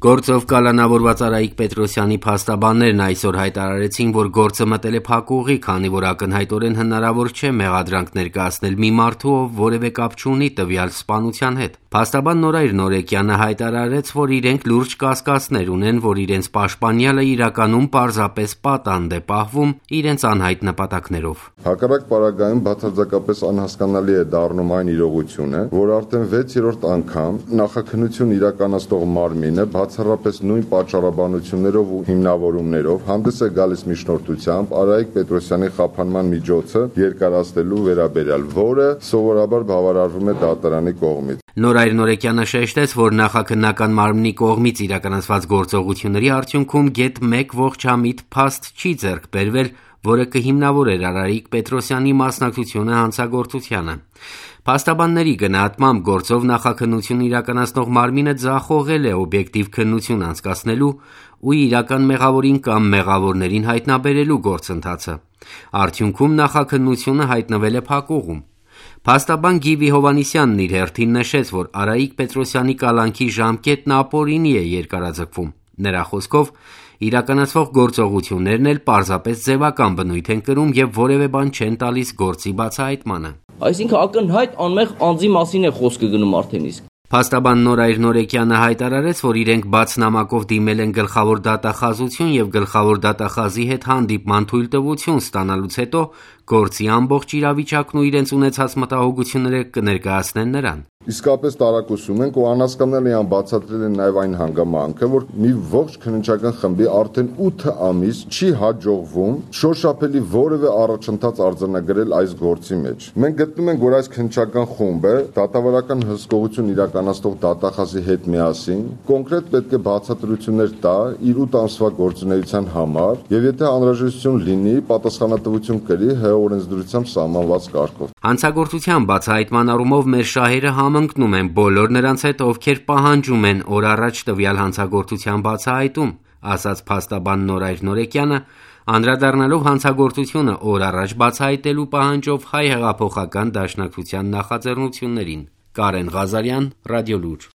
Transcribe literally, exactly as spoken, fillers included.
Գործով կալանավորված Արայիկ Պետրոսյանի փաստաբաններն այսօր հայտարարեցին, որ գործը մտել է փակուղի, քանի որ ակնհայտորեն հնարավոր չէ մեղադրանք ներկայացնել մի մարդու, ով որևէ կապ չունի տվյալ սպանության հետ։ Փաստաբան Նորայր Նորեկյանը հայտարարեց, որ իրենք լուրջ կասկածներ ունեն, որ իրենց պաշտպանյալը իրականում պարզապես պատանդ է պահվում իրենց անհայտ նպատակներով։ Հակառակ պարագայում բացարձակապես անհասկանալի է դառնում այն իրողությունը, որ արդեն վեցերորդ անգամ նախաքննություն իրականացնող մարմինը բացառապես նույն պատճառաբանություններով ու հիմնավորումներով հանդես է գալիս միջնորդությամբ Արայիկ Պետրոսյանի խափանման միջոցը երկարացնելու վերաբերյալ, որը սովորաբար բավարարվում է դատարանի կողմից։ Նորայր Նորեկյանը շեշտեց, որ նախաքննական մարմնի կողմից իրականացված գործողությունների արդյունքում գեթ մեկ ողջամիտ փաստ չի ձեռք բերվել, որը կհիմնավորեր Արայիկ Պետրոսյանի մասնակցությունը հանցագործությանը։ Փաստաբանների գնահատմամբ գործով նախաքննություն իրականացնող մարմինը ձախողել է օբյեկտիվ քննություն անցկացնելու ու իրական մեղավորին կամ մեղավորներին հայտնաբերելու գործընթացը։ Արդյունքում նախաքննությունը հայտնվել է փակուղում։ Փաստաբան Գիվի Հովհաննիսյանն իր հերթին նշեց, որ Արայիկ Պետրոսյանի կալանքի ժամկետն ապօրինի է երկարաձգվում։ Նրա խոսքով իրականացվող գործողություններն էլ պարզապես ձևական բնույթ են կրում եւ որևէ բան չեն տալիս գործի բացահայտմանը։ Այսինքն ակնհայտ անմեղ անձի մասին է խոսքը գնում արդեն իսկ։ Փաստաբան Նորայր Նորեկյանը հայտարարեց, որ իրենք բաց նամակով դիմել են գլխավոր դատախազություն եւ գլխավոր դատախազի հետ հանդիպման թույլտվություն ստանալուց հետո գործի ամբողջ իրավիճակն ու իրենց ունեցած մտահոգությունները կներկայացնեն նրան։ Իսկապես տարակուսում ենք ու անհասկանալի անբացատրել են նաև այն հանգամանքը, որ մի ողջ քննչական խմբի արդեն ութ ամիս չի հաջողվում շոշափելի որևէ առաջընթաց արձանագրել այս գործի մեջ։ Մենք գտնում ենք, որ այս քննչական խումբը դատավարական հսկողություն իրականացնող դատախազի հետ միասին կոնկրետ պետք է բացատրություններ տա իր ութ ամսվա գործունեության համար եւ եթե անհրաժեշտություն լինի, պատասխանատվություն կրի հ օրենսդրությամբ սահմանված կարգով։ Հանցագործության բացահայտման առումով մեր շահերը համընկնում են բոլոր նրանց հետ, ովքեր պահանջում են օր առաջ տվյալ հանցագործության բացահայտում, ասաց փաստաբան Նորայր Նորեկյանը, անդրադառնալով հանցագործությունը օր առաջ բացահայտելու պահանջով Հայ հեղափոխական դաշնակցության նախաձեռնություններին։ Կարեն Ղազարյան, Ռադիոլուր։